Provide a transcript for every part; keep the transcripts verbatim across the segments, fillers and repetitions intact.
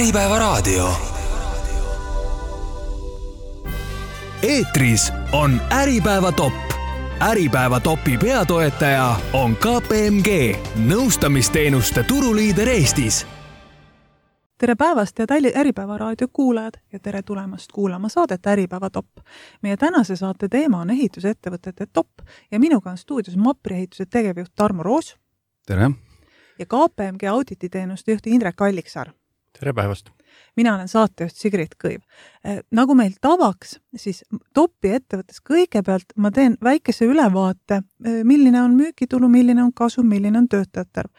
Äripäeva raadio. Eetris on Äripäeva top. Äripäeva topi peatoetaja on K P M G, nõustamisteenuste turuliider Eestis. Tere päevast ja Talli Äripäeva raadio kuulajad ja tere tulemast kuulama saadet Äripäeva top. Meie tänase saate teema on ehitusettevõtete top ja minuga on stuudios Mapri ehituse tegevjuht Tarmo Roos. Tere. Ja K P M G audititeenuste juht Indrek Alliksaar. Tere päevast. Mina olen saatejuht Sigrid Kõiv. Nagu meil tavaks, siis topi ettevõttes kõigepealt ma teen väikese ülevaate, milline on müügitulu, milline on kasum, milline on töötajate arv.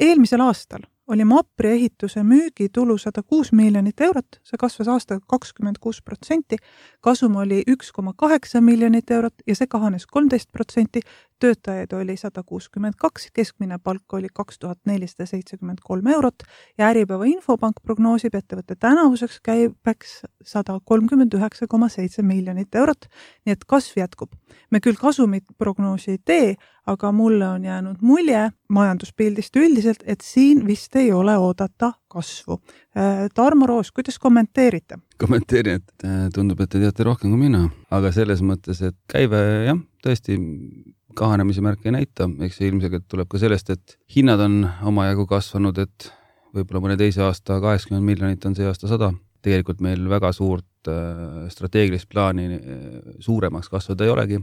Eelmisel aastal oli Mapri ehituse müügitulu sada kuus miljonit eurot, see kasvas aastaga kakskümmend kuus protsenti, kasum oli üks koma kaheksa miljonit eurot ja see kahanes kolmteist protsenti, töötajaid oli sada kuuskümmend kaks, keskmine palk oli kaks tuhat nelisada seitsekümmend kolm eurot ja Äripäeva Infopank prognoosib ettevõtte tänavuseks käibeks sada kolmkümmend üheksa koma seitse miljonit eurot, nii et kasv jätkub. Me küll kasumit prognoosi ei tee, aga mulle on jäänud mulje majanduspildist üldiselt, et siin vist ei ole oodata kasvu. Tarmo Roos, kuidas kommenteerite? Kommenteerin, et tundub, et te teate rohkem kui mina, aga selles mõttes, et käive jah, tõesti kahanemise märke ei näita, eks see ilmselt tuleb ka sellest, et hinnad on omajagu kasvanud, et võib-olla mõne teise aasta kaheksakümmend miljonit on see aasta sada. Tegelikult meil väga suurt strateegilist plaani suuremaks kasvada ei olegi,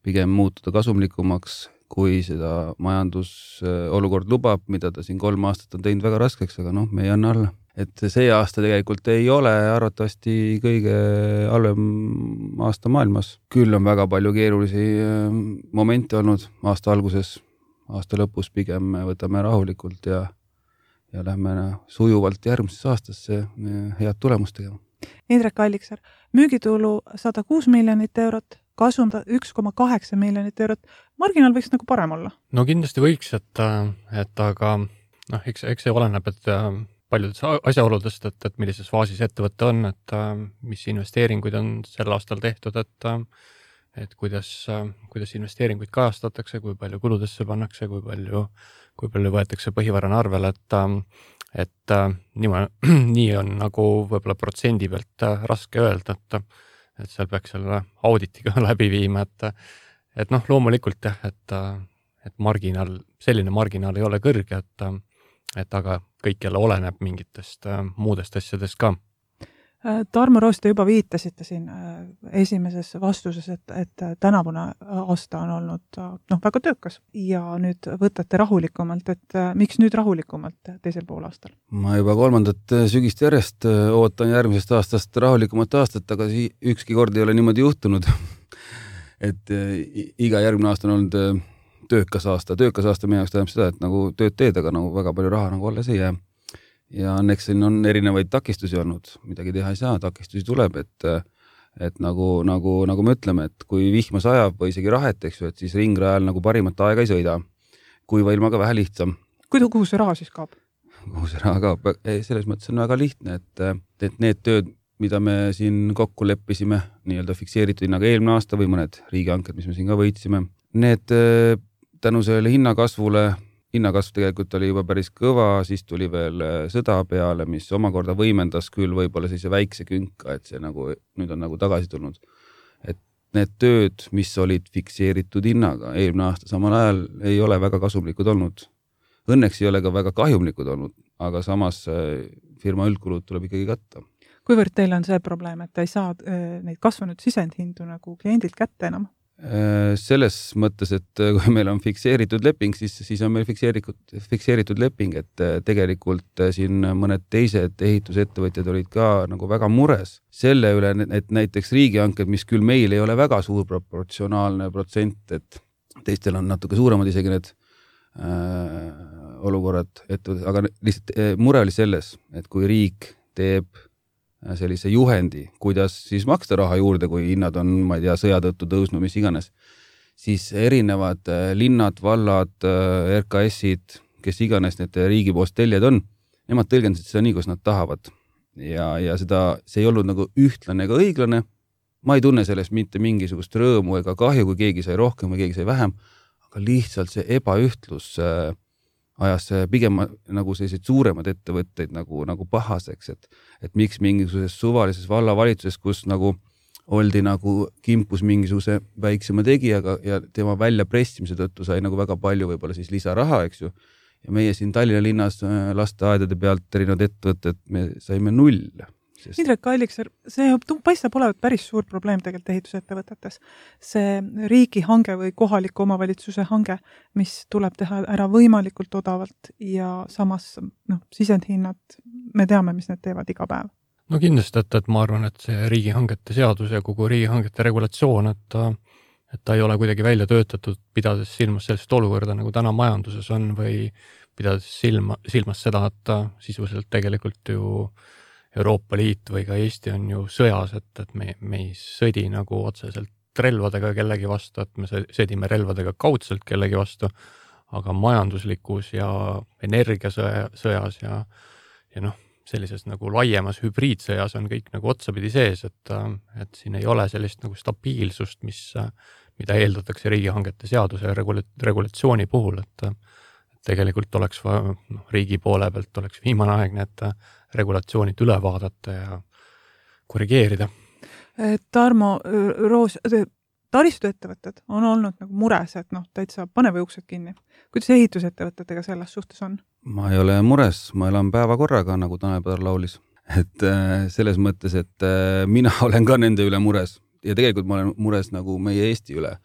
pigem muutuda kasumlikumaks, kui seda majandusolukord lubab, mida ta siin kolm aastat on teinud väga raskeks, aga noh, me ei anna alla. Et see aasta tegelikult ei ole arvatavasti kõige halvem aasta maailmas. Küll on väga palju keerulisi momente olnud aasta alguses, aasta lõpus pigem võtame rahulikult ja, ja lähme sujuvalt järgmises aastasse head tulemust tegema. Indrek Alliksaar, müügitulu sada kuus miljonit eurot, kasum üks koma kaheksa miljonit eurot. Marginaal võiks nagu parem olla? No kindlasti võiks, et, et aga noh, eks, eks see oleneb, et paljudest asjaoludest, et, et millises faasis ettevõtte on, et mis investeeringuid on sel aastal tehtud, et, et kuidas, kuidas investeeringuid kajastatakse, kui palju kuludesse pannakse, kui palju, kui palju võetakse põhivarana arvel, et, et nii, nii on nagu võib-olla protsendi pealt raske öelda, et, et seal peaks selle auditiga läbi viima, et, et noh, loomulikult jah, et, et marginaal, selline marginaal ei ole kõrge, et, et aga kõik jälle oleneb mingitest muudest asjadest ka. Tarmo Roos, te juba viitasite siin esimeses vastuses, et, et tänavune aasta on olnud noh, väga töökas ja nüüd võtate rahulikumalt, et miks nüüd rahulikumalt teisel pool aastal? Ma juba kolmandat sügist järjest ootan järgmisest aastast rahulikumat aastat, aga ükski kord ei ole niimoodi juhtunud. et iga järgmine aasta on olnud töökas aasta. Töökas aasta meie jaoks tähendab seda, et nagu tööd teed, aga nagu väga palju raha nagu alles ei jää. Ja õnneks siin on erinevaid takistusi olnud, midagi teha ei saa, takistusi tuleb, et, et nagu, nagu, nagu me ütleme, et kui vihma sajab või isegi rahet, eks ju, et siis ringrajal nagu parimat aega ei sõida. Kuiva ilmaga vähe lihtsam. Kuhu see raha siis kaob? Kuhu see raha kaob? Selles mõttes on väga lihtne, et, et need tööd, mida me siin kokku leppisime, nii-öelda fikseeritud hinnaga eelmine aasta või mõned riigihanked, mis me siin ka võitsime, need tänu sellele hinnakasvule, hinnakasv tegelikult oli juba päris kõva, siis tuli veel sõda peale, mis omakorda võimendas küll võib-olla sellise väikse künka, et see nagu, nüüd on nagu tagasi tulnud. Et need tööd, mis olid fikseeritud hinnaga eelmine aasta samal ajal, ei ole väga kasumlikud olnud. Õnneks ei ole ka väga kahjumlikud olnud, aga samas firma üldkulud tuleb ikkagi katta. Kuivõrd teil on see probleem, et ei saa neid kasvanud sisendhindu nagu kliendilt kätte enam? Selles mõttes, et kui meil on fikseeritud leping, siis, siis on meil fikseeritud, fikseeritud leping, et tegelikult siin mõned teised ehitusettevõtjad olid ka nagu väga mures selle üle, et näiteks riigihanked, mis küll meil ei ole väga suur proportsionaalne protsent, et teistel on natuke suuremad isegi need äh, olukorrad, et, aga lihtsalt äh, mure oli selles, et kui riik teeb sellise juhendi, kuidas siis maksta raha juurde, kui hinnad on, ma ei tea, sõja tõttu tõusnud, mis iganes, siis erinevad linnad, vallad, R K S-id, kes iganes need riigipoolsed teljed on, nemad tõlgendasid seda nii, kus nad tahavad. Ja, ja seda, see ei olnud nagu ühtlane ega õiglane. Ma ei tunne sellest mitte mingisugust rõõmu ega kahju, kui keegi sai rohkem või keegi sai vähem, aga lihtsalt see ebaühtlus ajas pigem nagu selliseid suuremad ettevõtteid nagu, nagu pahaseks, et, et miks mingisuguses suvalises vallavalitsuses, kus nagu oldi nagu kimpus mingisuguse väiksema tegijaga ja tema välja pressimise tõttu sai nagu väga palju võib-olla siis lisaraha, eks ju. Ja meie siin Tallinna linnas lasteaedade pealt erinevad ettevõtted, me saime null. Sest... Indrek Allikser, see paistab olevat päris suur probleem tegelikult ehitusettevõtetes. See riigihange või kohaliku omavalitsuse hange, mis tuleb teha ära võimalikult odavalt ja samas no, sisendhinnad, me teame, mis need teevad iga päev. No kindlasti, et, et ma arvan, et see riigihangete seadus ja kogu riigihangete regulatsioon, et, et ta ei ole kuidagi välja töötatud, pidades silmas sellist olukorda, nagu täna majanduses on või pidades silma, silmas seda, et sisuliselt tegelikult ju Euroopa Liit või ka Eesti on ju sõjas, et, et me, me ei sõdi nagu otseselt relvadega kellegi vastu, et me sõdime relvadega kaudselt kellegi vastu, aga majanduslikus ja energiasõjas ja, ja noh, sellises nagu laiemas hübriidsõjas on kõik nagu otsapidi sees, et, et siin ei ole sellist nagu stabiilsust, mis, mida eeldatakse riigihangete seaduse ja regula- regulatsiooni puhul, et tegelikult oleks no, riigi poole pealt oleks viimane aeg need regulatsioonid üle vaadata ja korrigeerida. Tarmo Roos, taristuettevõtted on olnud nagu mures, et noh, täitsa pane või uksed kinni. Kuidas ehitusettevõtetega selles suhtes on? Ma ei ole mures, ma elan päeva korraga, nagu Tanel Padar laulis. Et selles mõttes, et mina olen ka nende üle mures ja tegelikult ma olen mures nagu meie Eesti üle.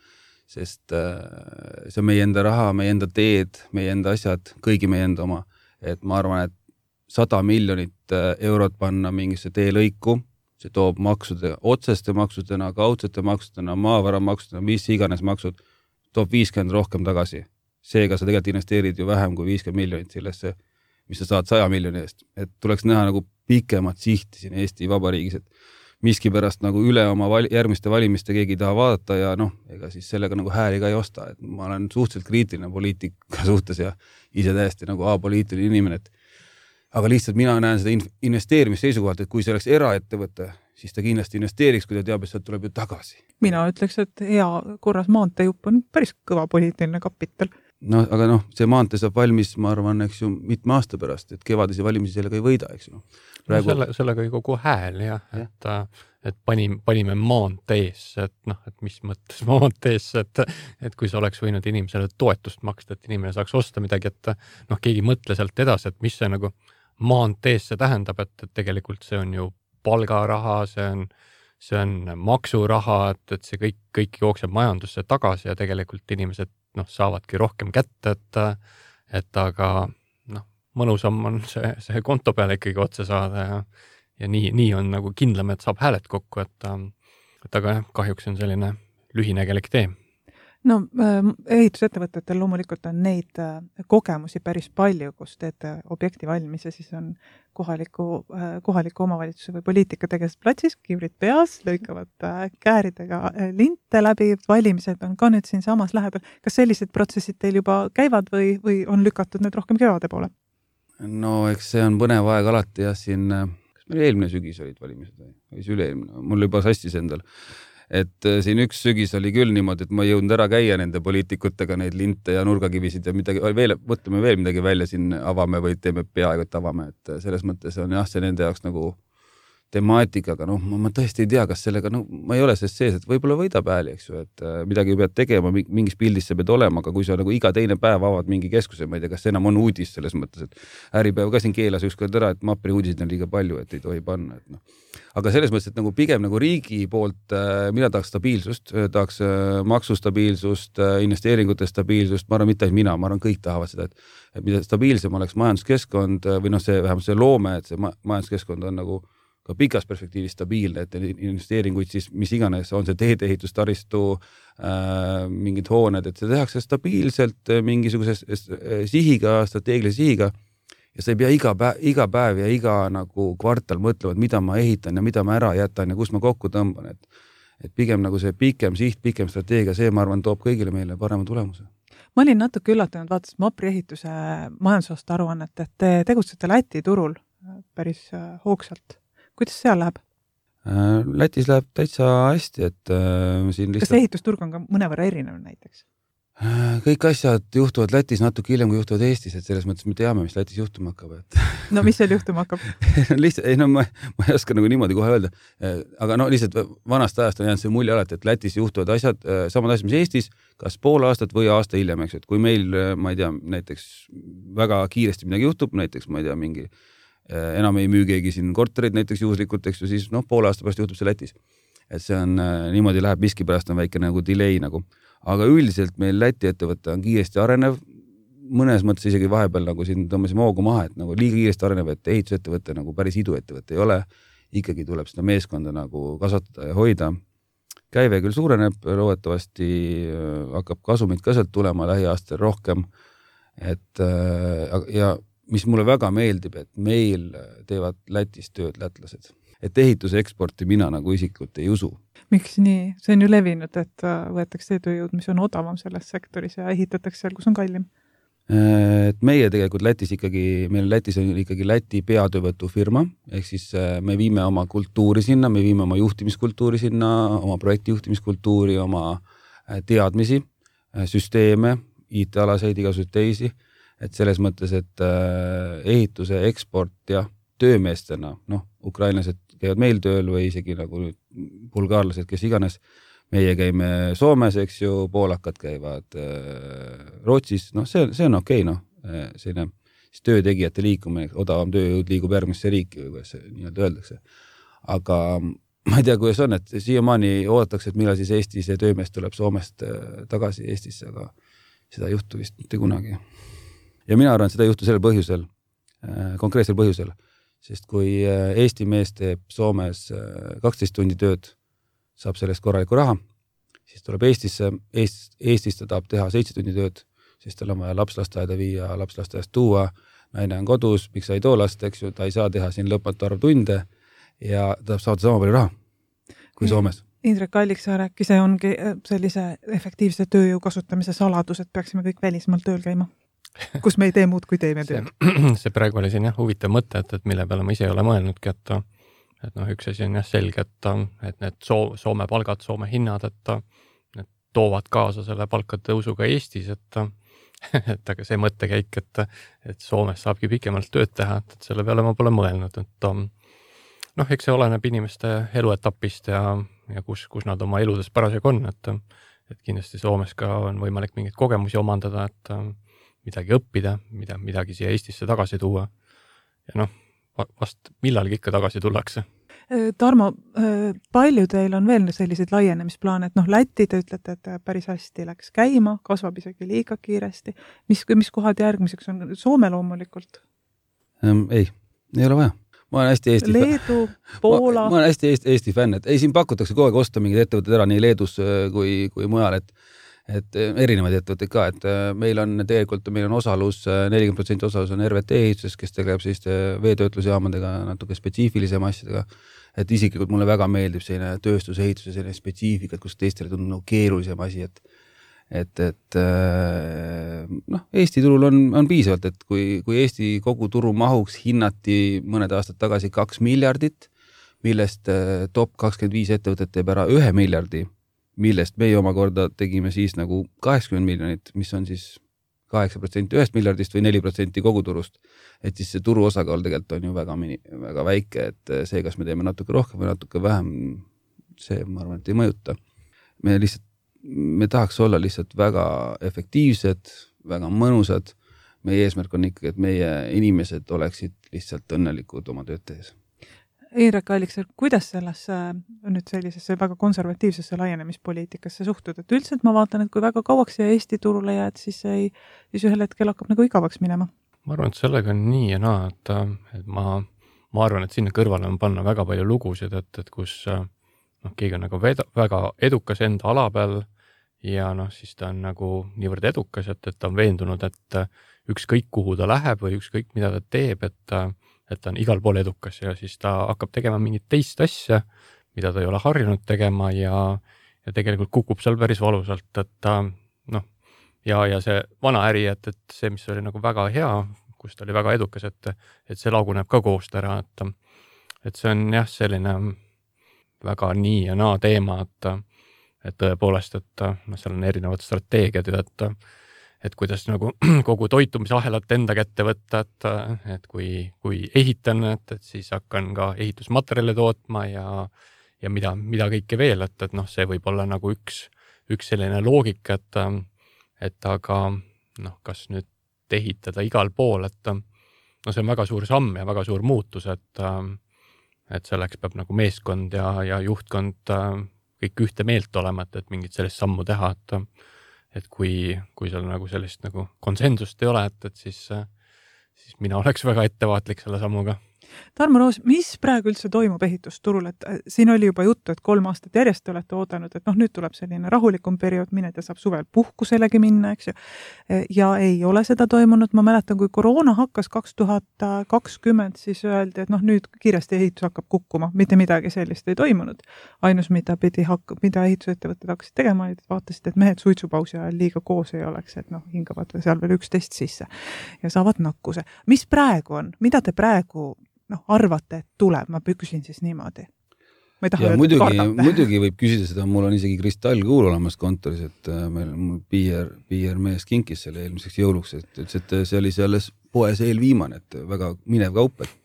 Sest see on meie enda raha, meie enda teed, meie enda asjad, kõigi meie enda oma. Et ma arvan, et sada miljonit eurot panna mingisse teelõiku, see toob maksude, otseste maksudena, kaudsete maksudena, maavara maksudena, mis iganes maksud, toob viiskümmend rohkem tagasi. Seega sa tegelikult investeerid ju vähem kui viiskümmend miljonit sellesse, mis sa saad saja miljoni eest. Et tuleks näha nagu pikemat sihti siin Eesti Vabariigis, et miski pärast nagu üle oma vali, järgmiste valimiste keegi ei taha vaadata ja noh, ega siis sellega nagu hääli ka ei osta. Et ma olen suhteliselt kriitiline poliitika suhtes ja ise täiesti nagu apoliitiline inimene. Et, aga lihtsalt mina näen seda investeerimisseisukohalt, et kui see oleks eraettevõte, siis ta kindlasti investeeriks, kui ta teab, et sealt tuleb ju tagasi. Mina ütleks, et hea korras maanteejupp on päris kõva poliitiline kapital. No, aga noh, see maantee saab valmis, ma arvan, eks ju, mitme aasta pärast, et kevadisi valimisi sellega ei võida, eks ju. Praegu... No selle, sellega ei kogu hääl, jah, ja. et, et panime, panime maanteesse, et noh, et mis mõttes maanteesse, et, et kui see oleks võinud inimesele toetust maksta, et inimene saaks osta midagi, et noh, keegi mõtle sealt edasi, et mis see nagu maanteesse tähendab, et, et tegelikult see on ju palgaraha, see on see on maksuraha, et, et see kõik, kõik jookseb majandusse tagasi ja tegelikult inimesed noh, saavadki rohkem kätte, et, et aga noh, mõnusam on see, see konto peale ikkagi otse saada ja, ja nii, nii on nagu kindlam, et saab hääled kokku, et, et aga jah, kahjuks on selline lühinägelik tee. No ehitusettevõtetel loomulikult on neid kogemusi päris palju, kus teete objekti valmis ja siis on kohaliku, kohaliku omavalitsuse või poliitika tegelised platsis, kiivrid peas, lõikavad kääridega linte läbi, valimised on ka nüüd siin samas lähedal. Kas sellised protsessid teil juba käivad või, või on lükatud need rohkem kevade poole? No eks see on põnev aeg alati ja siin, kas meil eelmine sügis olid valimised või, või see üleelmine, mul juba sassis endal. Et siin üks sügis oli küll niimoodi, et ma ei jõudnud ära käia nende poliitikutega neid linte ja nurgakivisid ja midagi, veel, mõtleme veel midagi välja siin avame või teeme peaaegu, et avame, et selles mõttes on jah, see nende jaoks nagu temaatikaga, noh, ma, ma tõesti ei tea, kas sellega, no ma ei ole sellest sees, et võib-olla võidab hääli, eks ju, et midagi pead tegema, mingis pildis sa pead olema, aga kui sa nagu iga teine päev avad mingi keskuse, ma ei tea, kas see enam on uudis selles mõttes, et Äripäev ka siin keelas ükskord ära, et Mapri uudisid on liiga palju, et ei tohi panna, et noh. Aga selles mõttes, et nagu pigem nagu riigi poolt mina tahaks stabiilsust, tahaks maksustabiilsust, investeeringute stabiilsust, ma arvan, mitte mina, ma arvan, kõik tahavad seda, et, et mida stabiilsem oleks majanduskeskkond või noh, see vähemalt see loome, et see majanduskeskkond on nagu ka pikas perspektiivis stabiilne, et investeeringuid siis mis iganes, on see teedeehitus, taristu, äh, mingid hooned, et see tehakse stabiilselt mingisuguse sihiga, strateegilise sihiga ja sa ei pea iga päev, iga päev ja iga nagu kvartal mõtlema, et mida ma ehitan ja mida ma ära jätan ja kus ma kokku tõmban, et, et pigem nagu see pikem siht, pikem strateegia, see ma arvan toob kõigile meile parema tulemuse. Ma olin natuke üllatunud, vaatasin Mapri ehituse majandusaasta aruannet, et te tegutsete Läti turul päris hoogsalt. Kuidas seal läheb? Lätis läheb täitsa hästi, et äh, siin lihtsalt... Kas ehitusturg on ka mõnevõrra erinev näiteks? kõik asjad juhtuvad Lätis natuke hiljem, kui juhtuvad Eestis, et selles mõttes me teame, mis Lätis juhtuma hakkab. Et... no mis seal juhtuma hakkab? lihtsalt, ei no ma, ma ei oska nagu niimoodi kohe öelda, aga no lihtsalt vanast ajast on jäänud see mulje alati, et Lätis juhtuvad asjad, samad asjad, mis Eestis, kas pool aastat või aasta hiljem, eks, et kui meil, ma ei tea, näiteks väga kiiresti midagi juhtub, näiteks ma ei tea, mingi enam ei müü keegi siin korterid näiteks juhuslikult, eks ju, siis noh, poole aasta pärast juhtub see Lätis. Et see on, niimoodi läheb, miski pärast on väike nagu delay nagu. Aga üldiselt meil Läti ettevõte on kiiresti arenev, mõnes mõttes isegi vahepeal nagu siin tõmbasime hoogu maha, et nagu liiga kiiresti arenev, et ehitusettevõte nagu päris iduettevõte ei ole, ikkagi tuleb seda meeskonda nagu kasvatada ja hoida. Käive küll suureneb, loodetavasti hakkab kasumit ka sealt tulema lähiaastal rohkem, et ja mis mulle väga meeldib, et meil teevad Lätis tööd lätlased. Et ehituse eksporti mina nagu isiklikult ei usu. Miks nii? See on ju levinud, et võetakse tööjõud, mis on odavam selles sektoris ja ehitatakse seal, kus on kallim. Et meie tegelikult Lätis ikkagi, meil Lätis on ikkagi Läti peatöövõtu firma, ehk siis me viime oma kultuuri sinna, me viime oma juhtimiskultuuri sinna, oma projektijuhtimiskultuuri, oma teadmisi, süsteeme, I T-alaseid, igasuguseid teisi, et selles mõttes, et ehituse eksport ja töömeestena, noh, ukrainlased käivad meil tööl või isegi nagu bulgaarlased, kes iganes. Meie käime Soomes, eks ju, poolakad käivad Rootsis, noh, see, see on okei, noh, selline töötegijate liikumine, odavam tööjõud liigub järgmisse riiki või kuidas see nii-öelda öeldakse. Aga ma ei tea, kuidas on, et siiamaani oodatakse, et millal siis Eesti see töömees tuleb Soomest tagasi Eestisse, aga seda ei juhtu vist mitte kunagi. Ja mina arvan, et seda ei juhtu sellel põhjusel, konkreetsel põhjusel, sest kui Eesti mees teeb Soomes kaksteist tundi tööd, saab sellest korraliku raha, siis tuleb Eestisse, Eest, Eestis ta tahab teha seitse tundi tööd, siis tal on vaja lapslasteaeda viia, lapslasteaest tuua, naine on kodus, miks sa ei too last, eks ju, ta ei saa teha siin lõpmatu arv tunde ja ta tahab saada sama palju raha kui Soomes. Indrek Alliksaar äkki see ongi sellise efektiivse tööjõu kasutamise saladus, et peaksime kõik välismaal tööl käima. Kus me ei tee muud, kui teeme tööl. See praegu oli siin jah, huvitav mõte, et, et mille peale ma ise ei ole mõelnudki, et, et noh, üks asi on jah selge, et, et need soo, Soome palgad, Soome hinnad, et need toovad kaasa selle palkade tõusuga Eestis, et, et aga see mõttekäik, et, et Soomes saabki pikemalt tööd teha, et selle peale ma pole mõelnud, et noh, eks see oleneb inimeste eluetapist ja, ja kus, kus nad oma eludes parasjagu on, et, et kindlasti Soomes ka on võimalik mingeid kogemusi omandada, et midagi õppida, mida, midagi siia Eestisse tagasi tuua. Ja noh, vast millalgi ikka tagasi tullakse. Tarmo, palju teil on veel selliseid laienemisplaane, et noh, Läti te ütlete, et päris hästi läks käima, kasvab isegi liiga kiiresti. Mis, mis kohad järgmiseks on? Soome loomulikult? Ähm, ei, ei ole vaja. Ma olen hästi Eesti Leedu, Poola. Ma, ma olen hästi Eesti, Eesti fänn, et ei, siin pakutakse kogu aeg osta mingid ettevõtted ära nii Leedus kui, kui mujal, et et erinevaid ettevõtteid ka, et meil on tegelikult, meil on osalus, nelikümmend protsenti osalus on R V T ehituses, kes tegeleb selliste veetöötlusjaamadega, natuke spetsiifilisema asjadega, et isiklikult mulle väga meeldib selline tööstusehituse, selline spetsiifikat, kus teistele tundub nagu keerulisem asi, et et, et noh, Eesti turul on, on piisavalt, et kui, kui Eesti kogu turu mahuks hinnati mõned aastad tagasi kaks miljardit, millest top kakskümmend viis ettevõtet teeb ära ühe miljardi, millest meie omakorda tegime siis nagu kaheksakümmend miljonit, mis on siis kaheksa protsenti ühest miljardist või neli protsenti koguturust. Et siis see turu osakaal tegelikult on ju väga, väga väike, et see, kas me teeme natuke rohkem või natuke vähem, see ma arvan, et ei mõjuta. Me lihtsalt, me tahaks olla lihtsalt väga efektiivsed, väga mõnusad. Meie eesmärk on ikkagi, et meie inimesed oleksid lihtsalt õnnelikud oma tööd tehes. Indrek Alliksaar, kuidas sellesse nüüd sellisesse väga konservatiivsesse laienemispoliitikasse suhtud, et üldiselt ma vaatan, et kui väga kauaks siia Eesti turule jääd, siis, ei, siis ühel hetkel hakkab nagu igavaks minema. Ma arvan, et sellega on nii ja naa, et, et ma, ma arvan, et sinna kõrvale on panna väga palju lugusid, et, et kus noh, keegi on nagu veda, väga edukas enda ala peal ja noh, siis ta on nagu niivõrd edukas, et, et ta on veendunud, et ükskõik kuhu ta läheb või ükskõik mida ta teeb, et et ta on igal pool edukas ja siis ta hakkab tegema mingit teist asja, mida ta ei ole harjunud tegema ja, ja tegelikult kukub seal päris valusalt, et ta noh, ja, ja see vana äri, et, et see, mis oli nagu väga hea, kus ta oli väga edukas, et, et see laguneb ka koost ära, et, et see on jah, selline väga nii ja naa teema, et, et tõepoolest, et noh, seal on erinevad strateegiad, et, et kuidas nagu kogu toitumisahelat enda kätte võtta, et, et kui, kui ehitan, et, et siis hakkan ka ehitusmaterjale tootma ja, ja mida, mida kõike veel, et, et noh, see võib olla nagu üks, üks selline loogika, et, et aga noh, kas nüüd ehitada igal pool, et no see on väga suur samm ja väga suur muutus, et, et selleks peab nagu meeskond ja, ja juhtkond kõik ühte meelt olema, et, et mingit sellist sammu teha, et, et kui, kui seal nagu sellist nagu konsensust ei ole, et, et siis, siis mina oleks väga ettevaatlik selle sammuga. Tarmo Roos, mis praegu üldse toimub ehitusturul, et siin oli juba juttu, et kolm aastat järjest te olete oodanud, et noh, nüüd tuleb selline rahulikum periood, mine ta saab suvel puhkuselegi minna, eks ju. Ja ei ole seda toimunud, ma mäletan, kui koroona hakkas kaks tuhat kakskümmend, siis öeldi, et noh, nüüd kiiresti ehitus hakkab kukkuma, mitte midagi sellist ei toimunud. Ainus, mida pidi hakka, mida ehitusettevõtted hakkasid tegema, et vaatasid, et mehed suitsupausi ajal liiga koos ei oleks, et noh, hingavad seal veel üksteist sisse ja saavad nakkuse. Mis praegu on? Mida te praegu noh, arvate, et tuleb, ma küsin siis niimoodi. Ma ei taha öelda, muidugi, kardate. muidugi võib küsida seda, mul on isegi kristallkuul olemas kontoris, et meil mul piir, piir mees kinkis selle eelmiseks jõuluks, et ütles, et see oli selles poes eelviimane, et väga minev kaup, et,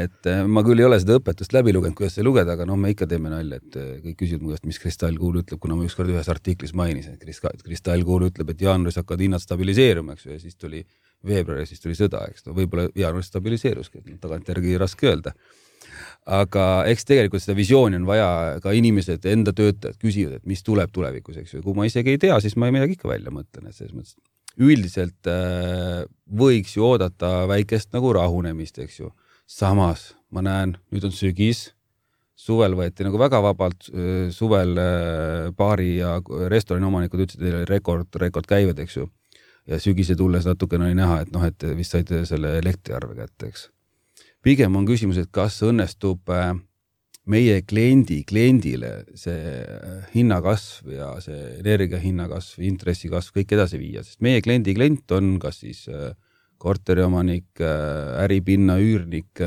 et ma küll ei ole seda õpetust läbi lugenud, kuidas see lugeda, aga noh, me ikka teeme nalja, et kõik küsivad mu käest, mis kristallkuul ütleb, kuna ma ükskord ühes artiklis mainis, et kristallkuul ütleb, et jaanuaris hakkavad hinnad stabiliseeruma, eks ju, ja siis tuli veebruari, siis tuli sõda, eks no võib-olla jaanuaris stabiliseeruski, tagantjärgi raske öelda. Aga eks tegelikult seda visiooni on vaja, ka inimesed, enda töötajad küsivad, et mis tuleb tulevikus, eks ju. Kui ma isegi ei tea, siis ma ei midagi ikka välja mõtlen, et selles mõttes üldiselt äh, võiks ju oodata väikest nagu rahunemist, eks ju. Samas ma näen, nüüd on sügis, suvel võeti nagu väga vabalt, suvel äh, baari ja restorani omanikud ütlesid, et rekord, rekord käivad, eks ju. Ja sügise tulles natukene oli näha, et noh, et vist said selle elektriarve kätte, eks. Pigem on küsimus, et kas õnnestub meie kliendi, kliendile see hinnakasv ja see energia hinnakasv, intressikasv kõik edasi viia, sest meie kliendi klient on kas siis korteriomanik, äripinna, üürnik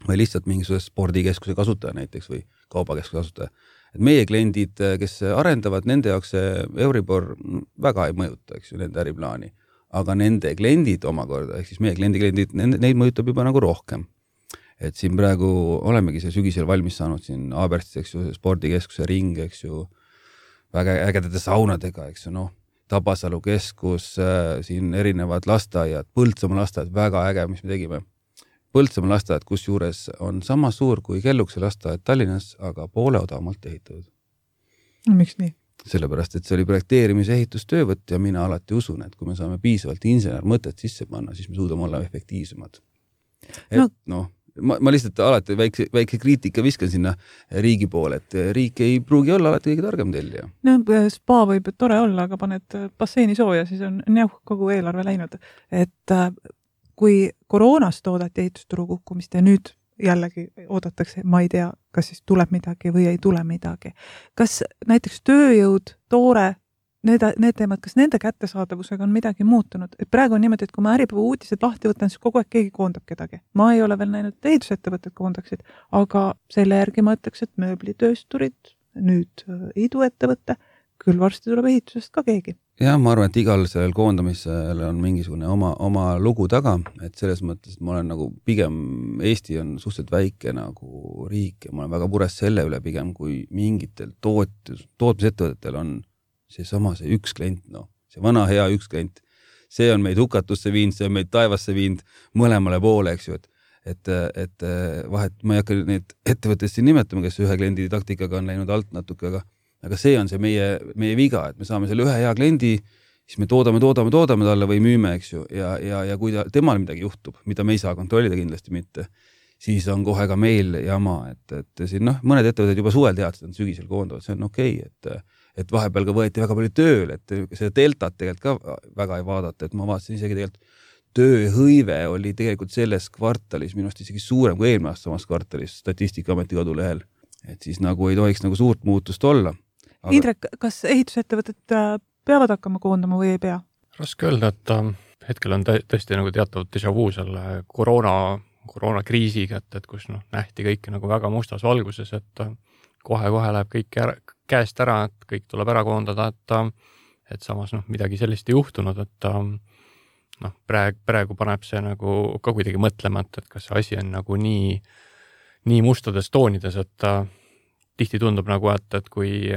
või lihtsalt mingisuguse spordikeskuse kasutaja näiteks või kaubakeskuse kasutaja. Et meie kliendid, kes arendavad, nende jaoks see Euribor väga ei mõjuta, eks ju, nende äriplaani. Aga nende kliendid omakorda, ehk siis meie kliendi kliendid, neid mõjutab juba nagu rohkem. Et siin praegu olemegi see sügisel valmis saanud siin Aaberstis, eks ju, spordikeskuse ring, eks ju, väga ägedate saunadega, eks ju, noh, Tabasalu keskus, siin erinevad lasteaiad, Põltsamaa lasteaiad, väga äge, mis me tegime. Põltsamaa lasteaiad, kus juures on sama suur kui Kellukese lasteaiad Tallinnas, aga poole odavamalt ehitatud. Miks nii? Sellepärast, et see oli projekteerimise ehitustöövõtt ja mina alati usun, et kui me saame piisavalt insener mõtet sisse panna, siis me suudame olla efektiivsemad. Et no, no ma, ma lihtsalt alati väikse, väikse kriitika viskan sinna riigi poole, et riik ei pruugi olla alati kõige targem tellija. No, spa võib tore olla, aga paned basseini sooja, siis on neuh kogu eelarve läinud. Et kui koroonast toodati ehitusturu kukkumist ja nüüd jällegi oodatakse, ma ei tea, kas siis tuleb midagi või ei tule midagi. Kas näiteks tööjõud, toore, need, need teemad, kas nende kättesaadavusega on midagi muutunud? Et praegu on niimoodi, et kui ma äripäeva uudised lahti võtan, siis kogu aeg keegi koondab kedagi. Ma ei ole veel näinud, et ehitusettevõtted koondaksid, aga selle järgi ma ütleks, et mööblitöösturid, nüüd iduettevõtte, küll varsti tuleb ehitusest ka keegi. Jah, ma arvan, et igal sellel koondamisel on mingisugune oma, oma lugu taga, et selles mõttes, et ma olen nagu pigem, Eesti on suhteliselt väike nagu riik ja ma olen väga mures selle üle pigem, kui mingitel toot, tootmisettevõtetel on see sama, see üks klient, no, see vana hea üks klient, see on meid hukatusse viinud, see on meid taevasse viinud mõlemale poole, eks ju, et, et, et vahet, ma ei hakka neid ettevõttest siin nimetama, kes ühe kliendi taktikaga on läinud alt natuke, aga aga see on see meie, meie viga, et me saame selle ühe hea kliendi, siis me toodame, toodame, toodame talle või müüme, eks ju, ja, ja, ja kui ta, temal midagi juhtub, mida me ei saa kontrollida kindlasti mitte, siis on kohe ka meil jama, et, et siin noh, mõned ettevõtted juba suvel teadsid, et sügisel koondavad, see on okei, okay, et, et vahepeal ka võeti väga palju tööl, et seda deltat tegelikult ka väga ei vaadata, et ma vaatasin isegi tegelikult tööhõive oli tegelikult selles kvartalis minu arust isegi suurem kui eelmine aasta samas kvartalis Statistikaameti kodulehel, et siis nagu ei tohiks nagu suurt muutust olla. Aga... Indrek, kas ehitusettevõtted peavad hakkama koondama või ei pea? Raske öelda, et hetkel on tõesti nagu teatav déjà vu selle koroona, koroonakriisiga, et, et kus noh, nähti kõike nagu väga mustas valguses, et kohe-kohe läheb kõik, ära, käest ära, et kõik tuleb ära koondada, et, et samas noh, midagi sellist ei juhtunud, et noh, praegu, praegu paneb see nagu ka kuidagi mõtlema, et, et kas see asi on nagu nii, nii mustades toonides, et tihti tundub nagu, et, et kui,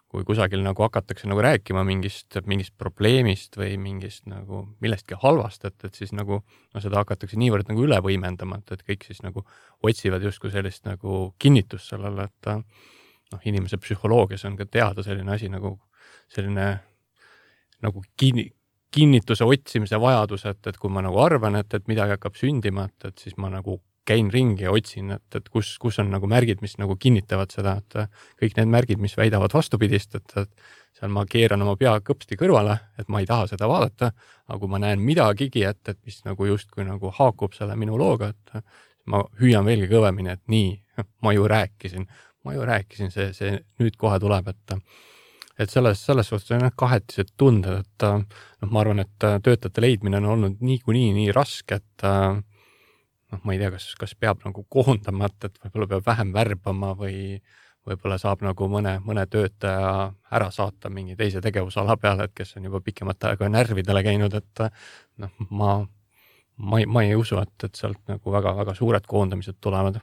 kui kusagil nagu hakatakse nagu rääkima mingist, mingist probleemist või mingist nagu millestki halvast, et, et siis nagu no seda hakatakse niivõrd nagu üle võimendama, et, et kõik siis nagu otsivad justkui sellist nagu kinnitust sellele, et noh, inimese psühholoogias on ka teada selline asi nagu selline nagu kinni, kinnituse otsimise vajadus, et, et kui ma nagu arvan, et, et midagi hakkab sündima, et, et siis ma nagu käin ringi ja otsin, et, et kus, kus on nagu märgid, mis nagu kinnitavad seda, et kõik need märgid, mis väidavad vastupidist, et, et seal ma keeran oma pea kõpsti kõrvale, et ma ei taha seda vaadata, aga kui ma näen midagigi, et, et mis nagu justkui nagu haakub selle minu looga, et ma hüüan veelgi kõvemini, et nii, ma ju rääkisin, ma ju rääkisin, see, see nüüd kohe tuleb, et et selles, selles suhtes on kahetised tunded, et noh, ma arvan, et töötajate leidmine on olnud niikuinii nii raske, et noh, ma ei tea, kas, kas peab nagu koondama, et, et võib-olla peab vähem värbama või võib-olla saab nagu mõne, mõne töötaja ära saata mingi teise tegevusala peale, et kes on juba pikemat aega närvidele käinud, et noh, ma, ma, ei, ma ei usu, et, et sealt nagu väga, väga suured koondamised tulevad.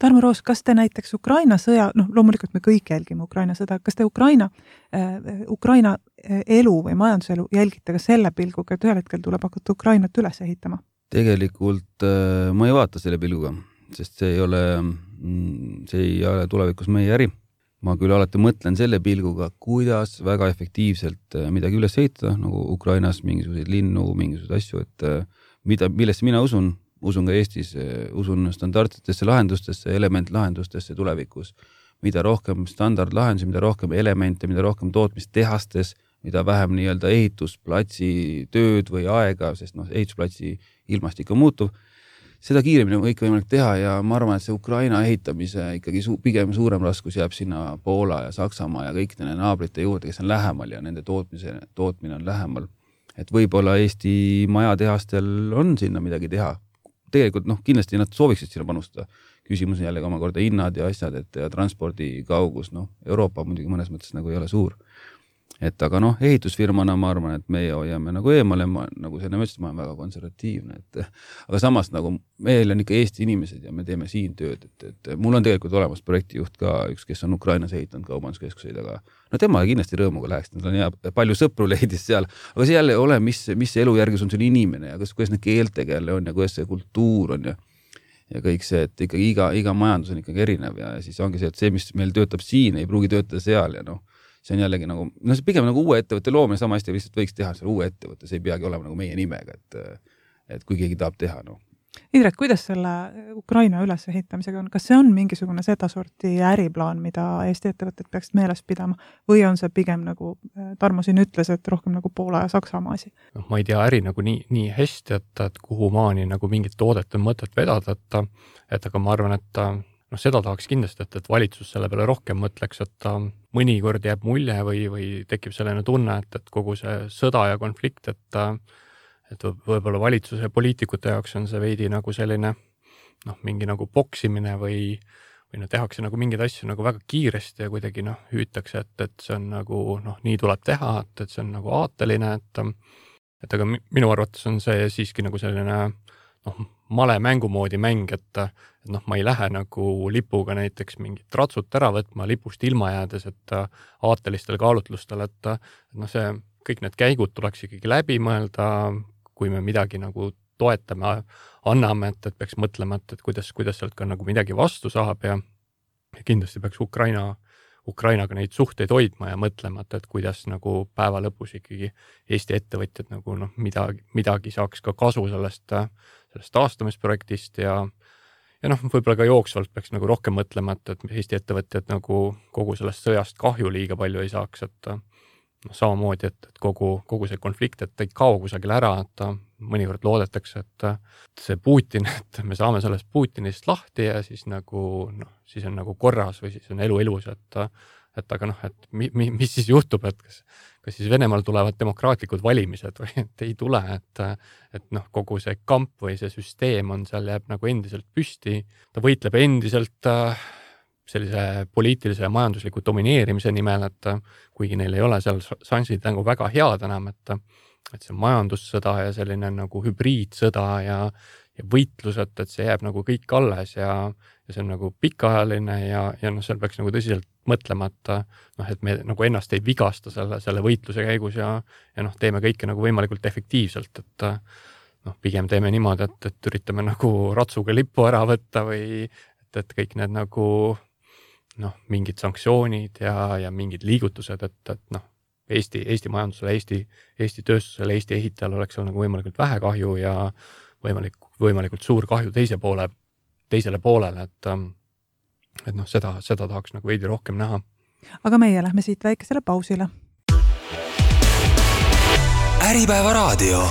Tarmo Roos, kas te näiteks Ukraina sõja, noh loomulikult me kõik jälgime Ukraina sõda, kas te Ukraina, äh, Ukraina elu või majanduselu jälgite ka selle pilguga, et ühel hetkel tuleb hakata Ukrainat üles ehitama? Tegelikult äh, ma ei vaata selle pilguga, sest see ei ole, see ei ole tulevikus meie äri. Ma küll alati mõtlen selle pilguga, kuidas väga efektiivselt midagi üles ehitada, nagu Ukrainas mingisuguseid linnu, mingisuguseid asju, et mida, millesse mina usun, usun ka Eestis, usun standardsetesse lahendustesse, elementlahendustesse tulevikus. Mida rohkem standardlahendusi, mida rohkem elemente, mida rohkem tootmistehastes, mida vähem nii-öelda ehitusplatsi tööd või aega, sest noh, ehitusplatsi ilmastik on muutuv, seda kiiremini on kõik võimalik teha ja ma arvan, et see Ukraina ehitamise ikkagi su- pigem suurem raskus jääb sinna Poola ja Saksamaa ja kõik nende naabrite juurde, kes on lähemal ja nende tootmise, tootmine on lähemal. Et võib-olla Eesti majatehastel on sinna midagi teha. Tegelikult noh, kindlasti nad sooviksid sinna panustada. Küsimus on jällegi omakorda hinnad ja asjad, et ja transpordi kaugus, noh, Euroopa muidugi mõnes mõttes nagu ei ole suur. Et aga noh, ehitusfirmana ma arvan, et meie hoiame nagu eemale, ma, nagu see mõttes, ma olen väga konservatiivne, et aga samas nagu meil on ikka Eesti inimesed ja me teeme siin tööd, et, et mul on tegelikult olemas projektijuht ka üks, kes on Ukrainas ehitanud kaubanduskeskuseid, aga no tema kindlasti rõõmuga läheks, tal on hea, palju sõpru leidis seal, aga see jälle ole, mis, mis elujärgus on sul inimene ja kas, kuidas need keeltega jälle on ja kuidas see kultuur on ja ja kõik see, et ikkagi iga, iga majandus on ikkagi erinev ja siis ongi see, et see, mis meil töötab siin, ei pruugi töötada seal ja noh, see on jällegi nagu, no see pigem nagu uue ettevõtte loomine, sama hästi lihtsalt võiks teha seal uue ettevõtte, see ei peagi olema nagu meie nimega, et, et kui keegi tahab teha, noh. Indrek, kuidas selle Ukraina ülesehitamisega on? Kas see on mingisugune seda sorti äriplaan, mida Eesti ettevõtted peaks meeles pidama või on see pigem nagu Tarmo siin ütles, et rohkem nagu Poola ja Saksamaa asi? No, ma ei tea äri nagu nii, nii hästi, et, et kuhu maani nagu mingit toodet on mõtet vedada, et, et aga ma arvan, et noh, seda tahaks kindlasti, et, et valitsus selle peale rohkem mõtleks, et mõnikord jääb mulje või, või tekib selline tunne, et, et kogu see sõda ja konflikt, et et võib-olla valitsuse ja poliitikute jaoks on see veidi nagu selline noh, mingi nagu boksimine või, või no tehakse nagu mingeid asju nagu väga kiiresti ja kuidagi noh, hüütakse, et, et see on nagu noh, nii tuleb teha, et, et see on nagu aateline, et, et aga minu arvates on see siiski nagu selline noh, male mängumoodi mäng, et, et noh, ma ei lähe nagu lipuga näiteks mingit ratsut ära võtma lipust ilma jäädes, et aatelistel kaalutlustel, et, et noh, see kõik need käigud tuleks ikkagi läbi mõelda, kui me midagi nagu toetame, anname, et, et peaks mõtlema, et, et kuidas, kuidas sealt ka nagu midagi vastu saab ja kindlasti peaks Ukraina, Ukrainaga neid suhteid hoidma ja mõtlema, et, et kuidas nagu päeva lõpus ikkagi Eesti ettevõtjad nagu noh, midagi, midagi saaks ka kasu sellest, sellest taastamisprojektist ja ja noh, võib-olla ka jooksvalt peaks nagu rohkem mõtlema, et, et Eesti ettevõtjad nagu kogu sellest sõjast kahju liiga palju ei saaks, et noh, samamoodi, et, et kogu, kogu see konflikt, et ei kao kusagil ära, et mõnikord loodetakse, et see Putin, et me saame sellest Putinist lahti ja siis nagu, noh, siis on nagu korras või siis on elu elus, et, et aga noh, et mi, mi, mis siis juhtub, et kas, kas siis Venemaal tulevad demokraatlikud valimised või et ei tule, et, et noh, kogu see kamp või see süsteem on seal jääb nagu endiselt püsti, ta võitleb endiselt äh, sellise poliitilise ja majandusliku domineerimise nimel, et kuigi neil ei ole seal šansid nagu väga head enam, et, et see majandussõda ja selline nagu hübriidsõda ja, ja võitlused, et see jääb nagu kõik alles ja, ja see on nagu pikaajaline ja, ja noh, seal peaks nagu tõsiselt mõtlema, et noh, et me nagu ennast ei vigasta selle, selle võitluse käigus ja, ja noh, teeme kõike nagu võimalikult efektiivselt, et noh, pigem teeme niimoodi, et, et üritame nagu ratsuga lippu ära võtta või et, et kõik need nagu noh, mingid sanktsioonid ja, ja mingid liigutused, et, et noh, Eesti, Eesti majandusele, Eesti, Eesti tööstusele, Eesti ehitajal oleks seal nagu võimalikult vähe kahju ja võimalik, võimalikult suur kahju teise poole, teisele poolele, et, et noh, seda, seda tahaks nagu veidi rohkem näha. Aga meie lähme siit väikesele pausile. Äripäeva raadio.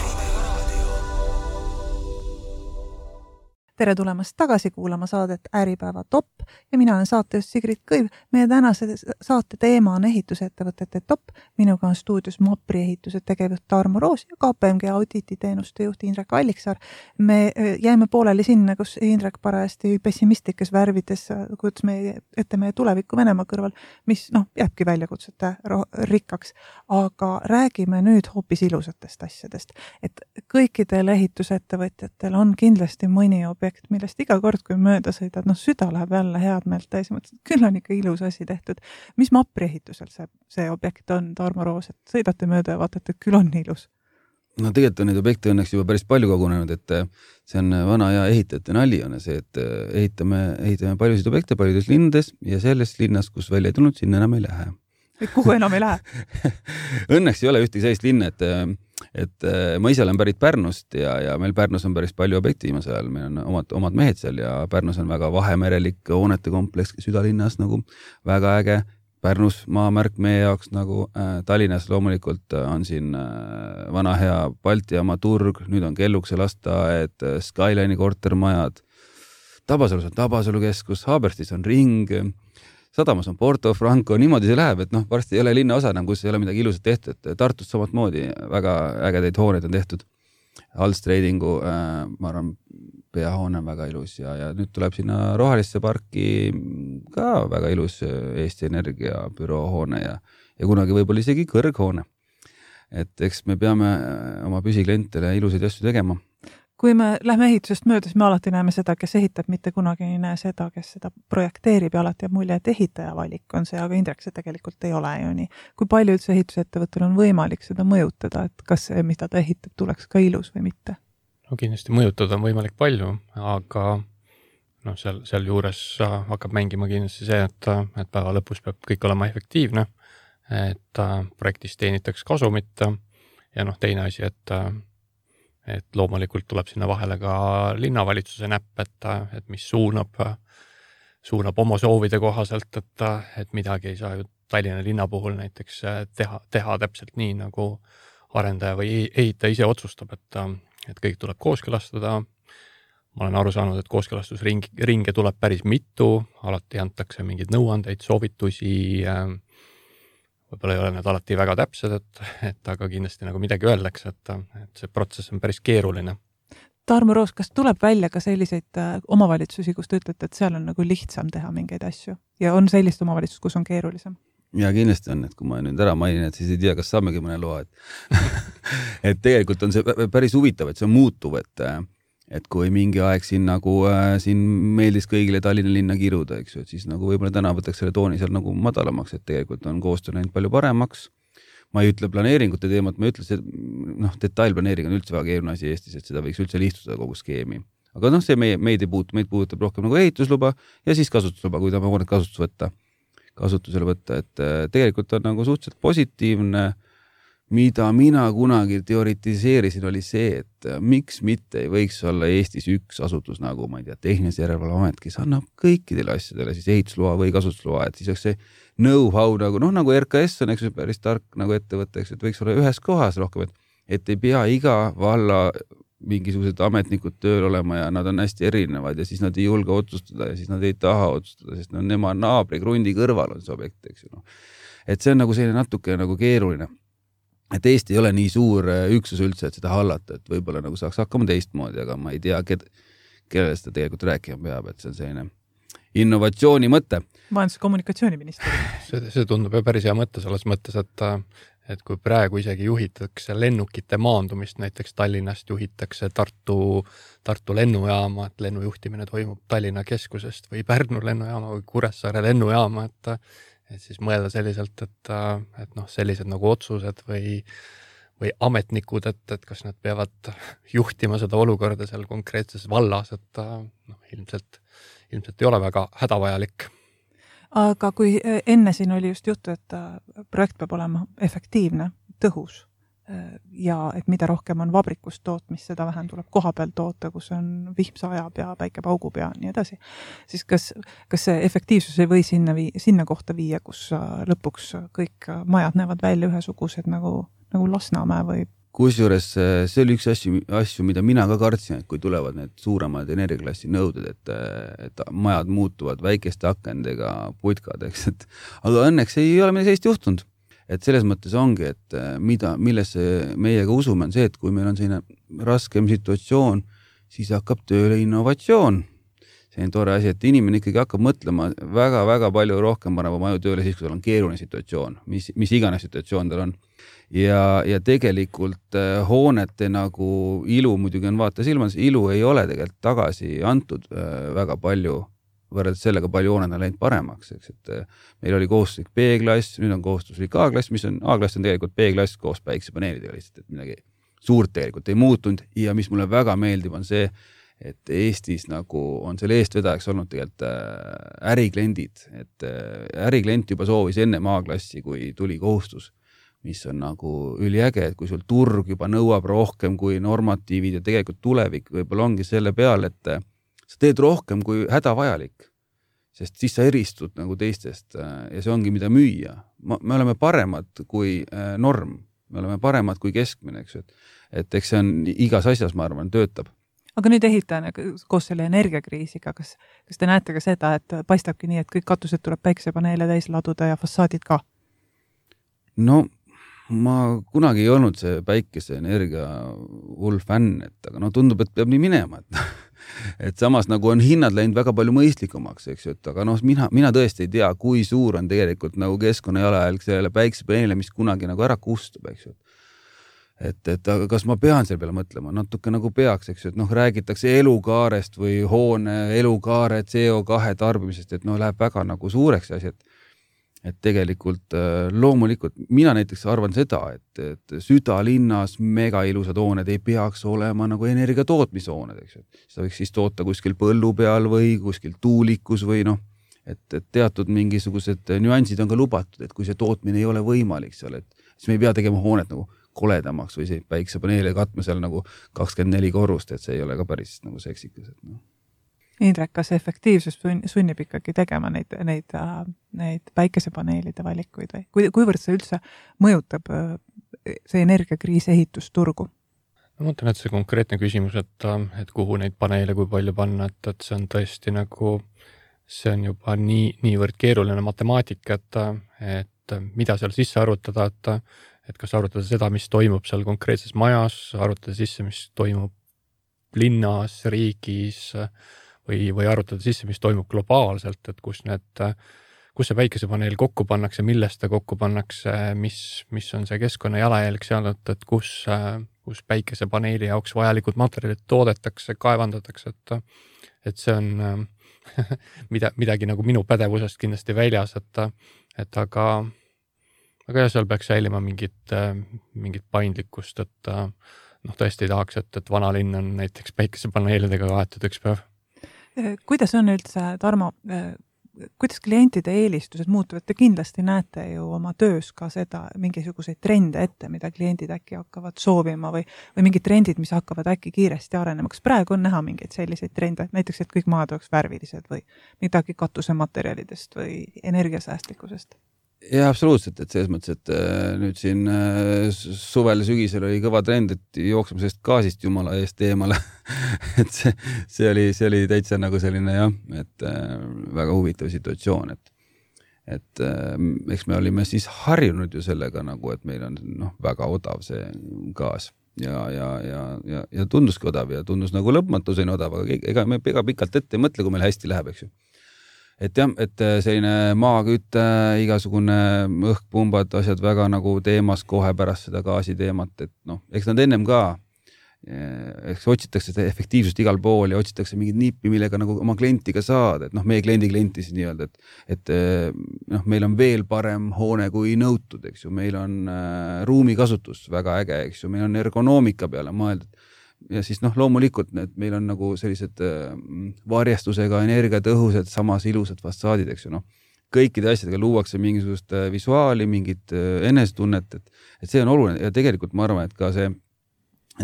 Tere tulemast tagasi kuulama saadet Äripäeva top ja mina olen saatejuht Sigrid Kõiv. Meie tänase saate teema on ehitusettevõtete top. Minuga on stuudios Mapri ehituse tegevjuht Tarmo Roos ja K P M G audititeenuste juht Indrek Alliksaar. Me jäime pooleli sinna, kus Indrek parajasti pessimistlikes värvides, kuidas me ette meie tulevikku Venemaa kõrval, mis noh, jääbki väljakutsete rikkaks. Aga räägime nüüd hoopis ilusatest asjadest. Et kõikidel ehitusettevõtjatel on kindlasti mõni objekt, millest iga kord, kui mööda sõidad, noh, süda läheb jälle head meelt täis, mõtlesin, et küll on ikka ilus asi tehtud. Mis Mapri ehitusel see, see objekt on, Tarmo Roos, et sõidate mööda ja vaatate, et küll on ilus? No tegelikult on neid objekte õnneks juba päris palju kogunenud, et see on vana ja ehitajate nali on see, et ehitame, ehitame paljusid objekte paljudes linnades ja selles linnas, kus välja ei tulnud, sinna enam ei lähe. Kuhu enam ei lähe? Õnneks ei ole ühtegi sellist linna, et, et ma ise olen pärit Pärnust ja, ja meil Pärnus on päris palju objekti viimasel ajal, meil on omad, omad mehed seal ja Pärnus on väga vahemerelik hoonete kompleks südalinnas nagu väga äge. Pärnus maamärk meie jaoks nagu äh, Tallinnas loomulikult on siin äh, vana hea Baltijaama turg, nüüd on Kellukse lasteaed, Skyline'i kortermajad, Tabasalus on Tabasalu keskus, Haaberstis on ring, Sadamas on Porto Franco, niimoodi see läheb, et noh, varsti ei ole linna osa enam, kus ei ole midagi ilusat tehtud, et Tartus samat moodi väga ägedaid hooneid on tehtud. Alstreidingu, äh, ma arvan, peahoone on väga ilus ja, ja nüüd tuleb sinna Rohelisse parki ka väga ilus Eesti Energia büroohoone ja, ja kunagi võib-olla isegi kõrghoone. Et eks me peame oma püsiklientele ilusaid asju tegema. Kui me lähme ehitusest mööda, siis me alati näeme seda, kes ehitab, mitte kunagi ei näe seda, kes seda projekteerib ja alati jääb mulje, et ehitaja valik on see, aga Indrek, see tegelikult ei ole ju nii. Kui palju üldse ehitusettevõttel on võimalik seda mõjutada, et kas see, mida ta ehitab, tuleks ka ilus või mitte? No kindlasti mõjutada on võimalik palju, aga no seal, seal juures hakkab mängima kindlasti see, et, et päeva lõpus peab kõik olema efektiivne, et projektist teenitaks kasumit ja noh, teine asi, et et loomulikult tuleb sinna vahele ka linnavalitsuse näpp, et, et mis suunab, suunab oma soovide kohaselt, et, et midagi ei saa ju Tallinna linna puhul näiteks teha, teha täpselt nii, nagu arendaja või ehitaja ise otsustab, et, et kõik tuleb kooskõlastada. Ma olen aru saanud, et kooskõlastusringe tuleb päris mitu, alati antakse mingeid nõuandeid, soovitusi, võib-olla ei ole need alati väga täpsed, et, et aga kindlasti nagu midagi öeldakse, et, et see protsess on päris keeruline. Tarmo Roos, kas tuleb välja ka selliseid omavalitsusi, kus te ütlete, et seal on nagu lihtsam teha mingeid asju ja on sellist omavalitsust, kus on keerulisem? Ja kindlasti on, et kui ma nüüd ära mainin, et siis ei tea, kas saamegi mõne loa, et, et tegelikult on see päris huvitav, et see on muutuv, et et kui mingi aeg siin nagu äh, siin meeldis kõigile Tallinna linna kiruda, eks ju, et siis nagu võib-olla täna võtaks selle tooni seal nagu madalamaks, et tegelikult on koostöö läinud palju paremaks. Ma ei ütle planeeringute teemat, ma ütle, et noh, detailplaneering on üldse väga keeruline asi Eestis, et seda võiks üldse lihtsustada kogu skeemi. Aga noh, see meie, meid ei puutu, meid puudutab rohkem nagu ehitusluba ja siis kasutusluba, kui ta ma hoonet kasutus võtta, kasutusele võtta, et äh, tegelikult on nagu suhteliselt positiivne. Mida mina kunagi teoritiseerisin, oli see, et miks mitte ei võiks olla Eestis üks asutus nagu, ma ei tea, tehnilise järelevalveamet, kes annab kõikidele asjadele siis ehitusloa või kasutusloa, et siis oleks see know-how nagu, noh, nagu R K S on, eks ju, päris tark nagu ettevõte, eks, et võiks olla ühes kohas rohkem, et, et ei pea iga valla mingisugused ametnikud tööl olema ja nad on hästi erinevad ja siis nad ei julge otsustada ja siis nad ei taha otsustada, sest no, nema naabri krundi kõrval on see objekt, eks ju. No. Et see on nagu selline natuke nagu keeruline. Et Eesti ei ole nii suur üksus üldse, et seda hallata, et võib-olla nagu saaks hakkama teistmoodi, aga ma ei tea, ked, kellele seda tegelikult rääkima peab, et see on selline innovatsiooni mõte. Majandus- ja kommunikatsiooniministeerium. See, see tundub ju päris hea mõte selles mõttes, et, et kui praegu isegi juhitakse lennukite maandumist, näiteks Tallinnast juhitakse Tartu, Tartu lennujaama, et lennujuhtimine toimub Tallinna keskusest või Pärnu lennujaama või Kuressaare lennujaama, et, et siis mõelda selliselt, et, et noh, sellised nagu otsused või või ametnikud, et, et kas nad peavad juhtima seda olukorda seal konkreetses vallas, et noh, ilmselt, ilmselt ei ole väga hädavajalik. Aga kui enne siin oli just juttu, et projekt peab olema efektiivne, tõhus ja et mida rohkem on vabrikust tootmist, seda vähem tuleb koha peal toota, kus on vihmsa ajab ja päike paugub ja nii edasi, siis kas, kas see efektiivsus ei või sinna, vii, sinna kohta viia, kus lõpuks kõik majad näevad välja ühesugused nagu nagu Lasnamäe või? Kusjuures see oli üks asju, asju, mida mina ka kartsin, et kui tulevad need suuremad energiaklassi nõuded, et, et majad muutuvad väikeste akendega putkadeks, et aga õnneks ei ole meil sellist juhtunud. Et selles mõttes ongi, et mida, millesse meiega usume on see, et kui meil on selline raskem situatsioon, siis hakkab tööle innovatsioon. See on tore asi, et inimene ikkagi hakkab mõtlema väga-väga palju rohkem paneb oma aju tööle siis, kui tal on keeruline situatsioon, mis, mis iganes situatsioon tal on. Ja, ja tegelikult äh, hoonete nagu ilu muidugi on vaata silmas, ilu ei ole tegelikult tagasi antud äh, väga palju, võrreldes sellega palju hooned on läinud paremaks, eks, et äh, meil oli kohustuslik B-klass, nüüd on kohustuslik A-klass, mis on, A-klass on tegelikult B-klass koos päiksepaneelidega lihtsalt, et midagi suurt tegelikult ei muutunud ja mis mulle väga meeldib on see, et Eestis nagu on selle eestvedajaks olnud tegelikult äh, ärikliendid, et äh, äriklient juba soovis ennem A-klassi, kui tuli kohustus, mis on nagu üliäge, et kui sul turg juba nõuab rohkem kui normatiivid ja tegelikult tulevik võib-olla ongi selle peal, et sa teed rohkem kui hädavajalik, sest siis sa eristud nagu teistest ja see ongi mida müüa. Me oleme paremad kui norm, me oleme paremad kui keskmine, eks, et, et eks see on igas asjas, ma arvan, töötab. Aga nüüd ehitajana koos selle energiakriisiga, kas, kas te näete ka seda, et paistabki nii, et kõik katused tuleb päiksepaneele täis laduda ja fassaadid ka? No ma kunagi ei olnud see päikese energia hull fänn, et aga no tundub, et peab nii minema, et, et samas nagu on hinnad läinud väga palju mõistlikumaks, eks ju, et aga noh, mina, mina tõesti ei tea, kui suur on tegelikult nagu keskkonna jalajälg selle päiksepaneele, mis kunagi nagu ära kustub, eks ju. Et, et aga kas ma pean selle peale mõtlema? Natuke nagu peaks, eks ju, et noh, räägitakse elukaarest või hoone elukaare C O kahe tarbimisest, et noh, läheb väga nagu suureks asi, et et tegelikult loomulikult mina näiteks arvan seda, et, et südalinnas mega ilusad hooned ei peaks olema nagu energia tootmishooned, eks ju. Seda võiks siis toota kuskil põllu peal või kuskil tuulikus või noh, et, et teatud mingisugused nüansid on ka lubatud, et kui see tootmine ei ole võimalik seal, et siis me ei pea tegema hoonet nagu koledamaks või see päiksepaneele katma seal nagu kakskümmend neli korrust, et see ei ole ka päris nagu seksikas, et noh. Indrek, kas efektiivsus sunnib ikkagi tegema neid, neid, neid päikesepaneelide valikuid või kui, kuivõrd see üldse mõjutab see energiakriis ehitusturgu? Ma mõtlen, et see konkreetne küsimus, et, et kuhu neid paneele, kui palju panna, et, et see on tõesti nagu, see on juba nii, niivõrd keeruline matemaatika, et, et mida seal sisse arutada, et, et kas arutada seda, mis toimub seal konkreetses majas, arutada sisse, mis toimub linnas, riigis, või, või arutada sisse, mis toimub globaalselt, et kus need, kus see päikesepaneel kokku pannakse, millest ta kokku pannakse, mis, mis on see keskkonna jalajälg seal, et, et kus, kus päikesepaneeli jaoks vajalikud materjalid toodetakse, kaevandatakse, et, et see on mida, midagi nagu minu pädevusest kindlasti väljas, et, et aga, aga jah, seal peaks säilima mingit, mingit paindlikkust, et noh, tõesti ei tahaks, et, et vana linn on näiteks päikesepaneelidega kaetud üks päev. Kuidas on üldse, Tarmo, kuidas klientide eelistused muutuvad? Te kindlasti näete ju oma töös ka seda mingisuguseid trende ette, mida kliendid äkki hakkavad soovima või, või mingid trendid, mis hakkavad äkki kiiresti arenema. Kas praegu on näha mingeid selliseid trende, näiteks, et kõik maad oleks värvilised või midagi katusematerjalidest või energiasäästlikkusest? Ja absoluutselt, et selles mõttes, et nüüd siin suvel sügisel oli kõva trend, et jookseme sellest gaasist jumala eest eemale. et see, see, oli, see oli täitsa nagu selline jah, et väga huvitav situatsioon, et, et eks me olime siis harjunud ju sellega nagu, et meil on noh, väga odav see gaas ja, ja, ja, ja, ja tunduski odav ja tundus nagu lõpmatuseni odav, aga ega me ega pikalt ette ei mõtle, kui meil hästi läheb, eks ju. et jah, et selline maakütte, igasugune õhkpumbad, asjad väga nagu teemas kohe pärast seda gaasi teemat, et noh, eks nad ennem ka, eks otsitakse seda efektiivsust igal pool ja otsitakse mingit nippi, millega nagu oma klientiga saada, et noh, meie kliendi klienti siis nii-öelda, et, et noh, meil on veel parem hoone kui nõutud, eks ju, meil on äh, ruumikasutus väga äge, eks ju, meil on ergonoomika peale mõeldud. Ja siis noh, loomulikult need, meil on nagu sellised äh, varjestusega energiatõhused, samas ilusad fassaadid, eks ju, noh. Kõikide asjadega luuakse mingisugust äh, visuaali, mingit äh, enesetunnet, et, et see on oluline ja tegelikult ma arvan, et ka see,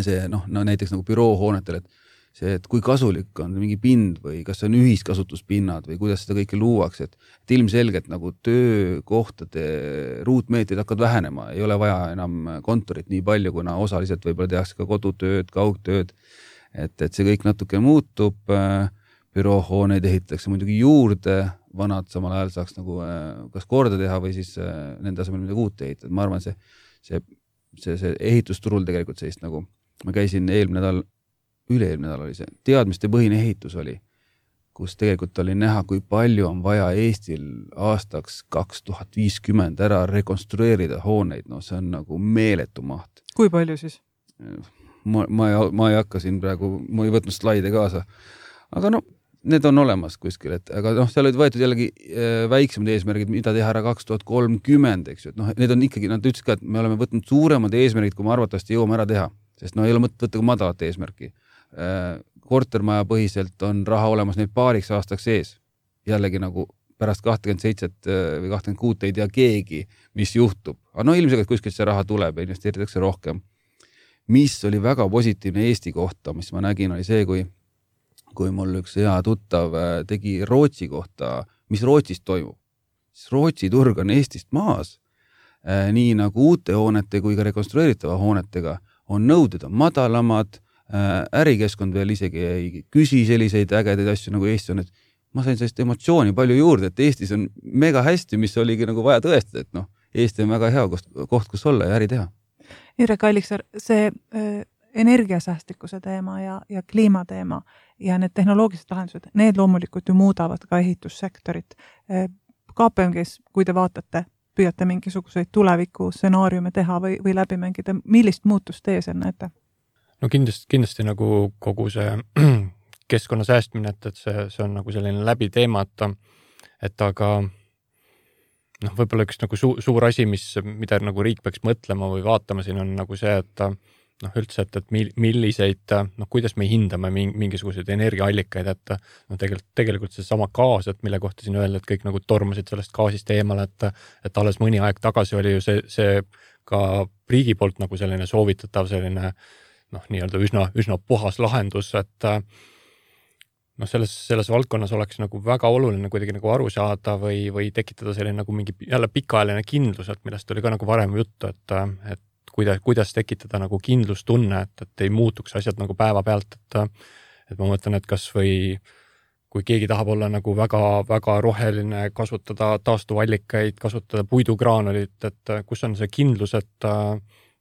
see noh, no näiteks nagu büroohoonetel, et see, et kui kasulik on mingi pind või kas see on ühiskasutuspinnad või kuidas seda kõike luuakse, et, et ilmselgelt nagu töökohtade ruutmeetrid hakkavad vähenema, ei ole vaja enam kontorit nii palju, kuna osaliselt võib-olla tehakse ka kodutööd, kaugtööd, et, et see kõik natuke muutub, büroohooneid ehitatakse muidugi juurde, vanad samal ajal saaks nagu kas korda teha või siis nende asemel midagi uut ehitada, ma arvan, see, see, see, see ehitusturul tegelikult sellist nagu, ma käisin eelmine nädal üle-eelmine nädal oli see, teadmiste põhine ehitus oli, kus tegelikult oli näha, kui palju on vaja Eestil aastaks kaks tuhat viiskümmend ära rekonstrueerida hooneid, no see on nagu meeletu maht. Kui palju siis? Ma, ma, ei, ma ei hakka siin praegu, ma ei võtnud slaide kaasa, aga no need on olemas kuskil, et aga noh, seal olid võetud jällegi väiksemad eesmärgid, mida teha ära kaks tuhat kolmkümmend, eks ju, et noh, need on ikkagi, nad ütlesid ka, et me oleme võtnud suuremad eesmärgid, kui me arvatavasti jõuame ära teha, sest no ei ole mõtet võtta ka madalat eesmärki. Kortermaja põhiselt on raha olemas neid paariks aastaks ees. Jällegi nagu pärast kakskümmend seitse või kakskümmend kuus ei tea keegi, mis juhtub. Aga no ilmselt kuskilt see raha tuleb ja investeeritakse rohkem. Mis oli väga positiivne Eesti kohta, mis ma nägin, oli see, kui, kui mul üks hea tuttav tegi Rootsi kohta, mis Rootsis toimub. Rootsi turg on Eestist maas. Nii nagu uute hoonete kui ka rekonstrueeritava hoonetega on nõuded on madalamad, ärikeskkond veel isegi ei küsi selliseid ägedaid asju nagu Eesti on, et ma sain sellist emotsiooni palju juurde, et Eestis on mega hästi, mis oligi nagu vaja tõestada, et noh, Eesti on väga hea koht, koht kus olla ja äri teha. Indrek Alliksaar, see äh, energiasäästlikkuse teema ja, ja kliimateema ja need tehnoloogilised lahendused, need loomulikult ju muudavad ka ehitussektorit. Äh, K P M G-s, kui te vaatate, püüate mingisuguseid tuleviku stsenaariume teha või, või läbi mängida, millist muutust teie seal näete? No kindlasti, kindlasti nagu kogu see keskkonna säästmine, et, et see, see on nagu selline läbi teema, et, et aga noh, võib-olla üks nagu suur, suur asi, mis, mida nagu riik peaks mõtlema või vaatama siin on nagu see, et noh, üldse, et, et milliseid, noh, kuidas me hindame mingisuguseid energiaallikaid, et noh, tegelikult, tegelikult see sama gaas, et mille kohta siin öelda, et kõik nagu tormasid sellest gaasist eemale, et, et alles mõni aeg tagasi oli ju see, see ka riigi poolt nagu selline soovitatav selline noh, nii-öelda üsna, üsna puhas lahendus, et noh, selles, selles valdkonnas oleks nagu väga oluline kuidagi nagu aru saada või, või tekitada selline nagu mingi jälle pikaajaline kindlus, et millest oli ka nagu varem juttu, et, et kuidas, kuidas tekitada nagu kindlustunne, et, et ei muutuks asjad nagu päeva pealt, et, et ma mõtlen, et kas või kui keegi tahab olla nagu väga, väga roheline, kasutada taastuvallikaid, kasutada puidugraanulit, et kus on see kindlus, et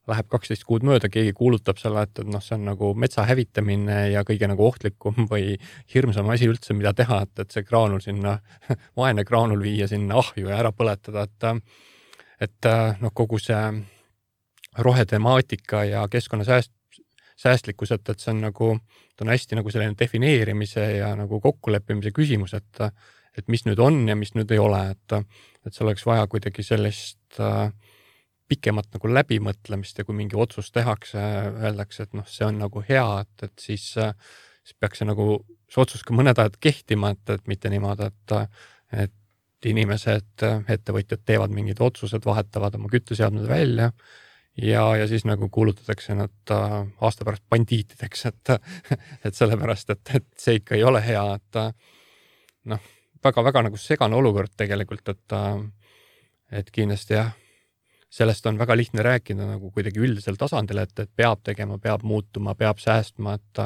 läheb kaksteist kuud mööda, keegi kuulutab selle, et, et noh, see on nagu metsa hävitamine ja kõige nagu ohtlikum või hirmsam asi üldse, mida teha, et, et see graanul sinna, vaene graanul viia sinna ahju ja ära põletada, et, et noh, kogu see rohetemaatika ja keskkonna sääst, säästlikkus, et, et see on nagu, ta on hästi nagu selline defineerimise ja nagu kokkuleppimise küsimus, et, et mis nüüd on ja mis nüüd ei ole, et, et see oleks vaja kuidagi sellist äh, pikemat nagu läbimõtlemist ja kui mingi otsus tehakse, öeldakse, et noh, see on nagu hea, et, et siis, siis peaks see nagu, see otsus ka mõned ajad kehtima, et, et mitte niimoodi, et, et inimesed, ettevõtjad teevad mingid otsused, vahetavad oma kütteseadmed välja ja, ja siis nagu kuulutatakse nad aasta pärast bandiitideks, et, et sellepärast, et, et see ikka ei ole hea, et noh, väga-väga nagu segane olukord tegelikult, et, et kindlasti jah, sellest on väga lihtne rääkida nagu kuidagi üldisel tasandil, et, et peab tegema, peab muutuma, peab säästma, et,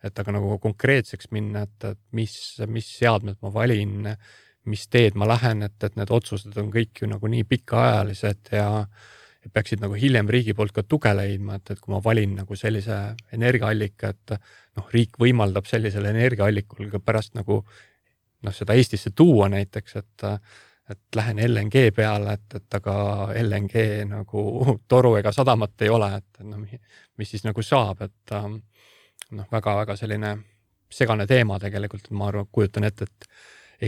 et aga nagu konkreetseks minna, et, et mis, mis seadmed ma valin, mis teed ma lähen, et, et need otsused on kõik ju nagu nii pikaajalised ja, ja peaksid nagu hiljem riigi poolt ka tuge leidma, et, et kui ma valin nagu sellise energiaallika, et noh, riik võimaldab sellisele energiaallikul ka pärast nagu noh, seda Eestisse tuua näiteks, et, et lähen L N G peale, et, et aga L N G nagu toru ega sadamat ei ole, et no, mis siis nagu saab, et noh, väga-väga selline segane teema tegelikult, ma arvan, kujutan ette, et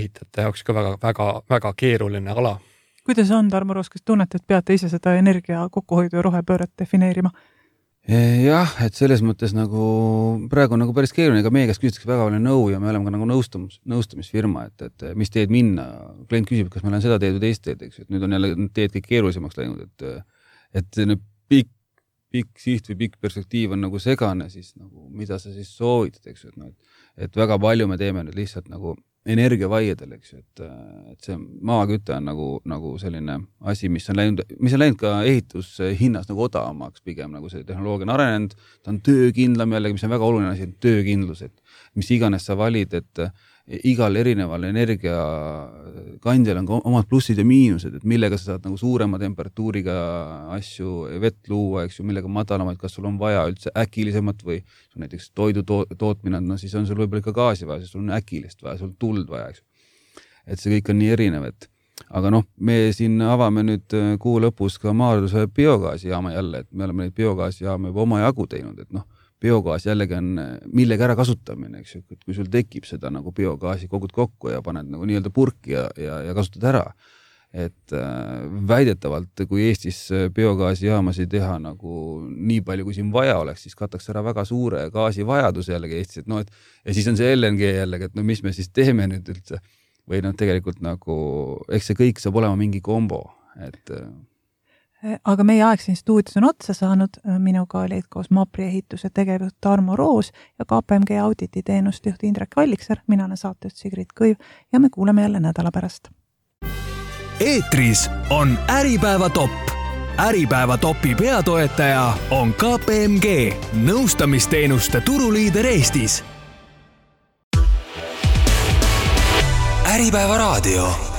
ehitajate jaoks ka väga-väga keeruline ala. Kuidas on, Tarmo Roos, kas tunnete, et peate ise seda energia kokkuhoidu ja rohepööret defineerima? Jah, et selles mõttes nagu praegu on nagu päris keeruline, ega meie käest küsitakse väga palju nõu ja me oleme ka nagu nõustumis, nõustamisfirma, et, et mis teed minna. Klient küsib, kas ma olen seda teed või teist teed, eks, et nüüd on jälle teed kõik keerulisemaks läinud, et, et see pikk, pikk siht või pikk perspektiiv on nagu segane, siis nagu, mida sa siis soovitad, eks, et, no, et, et väga palju me teeme nüüd lihtsalt nagu energiavaiedel, eks, et, et see maaküte on nagu, nagu selline asi, mis on läinud, mis on läinud ka ehitushinnas nagu odavamaks pigem, nagu see tehnoloogia on arenenud, ta on töökindlam jällegi, mis on väga oluline asi, töökindlus, et mis iganes sa valid, et igal erineval energiakandjal on ka omad plussid ja miinused, et millega sa saad nagu suurema temperatuuriga asju, vett luua, eks ju, millega madalamaid, kas sul on vaja üldse äkilisemat või sul näiteks toidu tootmine, no siis on sul võib-olla ikka gaasi vaja, siis sul on äkilist vaja, sul tuld vaja, eks ju. Et see kõik on nii erinev, et aga noh, me siin avame nüüd kuu lõpus ka Maarduse biogaasijaama jälle, et me oleme neid biogaasijaama juba oma jagu teinud, et noh, biogaas jällegi on millega ära kasutamine, eks ju, et kui sul tekib seda nagu biogaasi kogud kokku ja paned nagu nii-öelda purki ja, ja, ja kasutad ära. Et äh, väidetavalt, kui Eestis biogaasijaamasid teha nagu nii palju, kui siin vaja oleks, siis kataks ära väga suure gaasivajaduse jällegi Eestis, et no, et ja siis on see L N G jällegi, et no mis me siis teeme nüüd üldse või noh, tegelikult nagu, eks see kõik saab olema mingi kombo, et aga meie aeg siin stuudios on otsa saanud, minuga olid koos Mapri ehituse tegevjuht Tarmo Roos ja K P M G auditi teenustjuht Indrek Allikser, mina olen saatejuht Sigrid Kõiv ja me kuuleme jälle nädala pärast. Eetris on Äripäeva topp. Äripäeva topi peatoetaja on K P M G, nõustamisteenuste turuliider Eestis. Äripäeva raadio.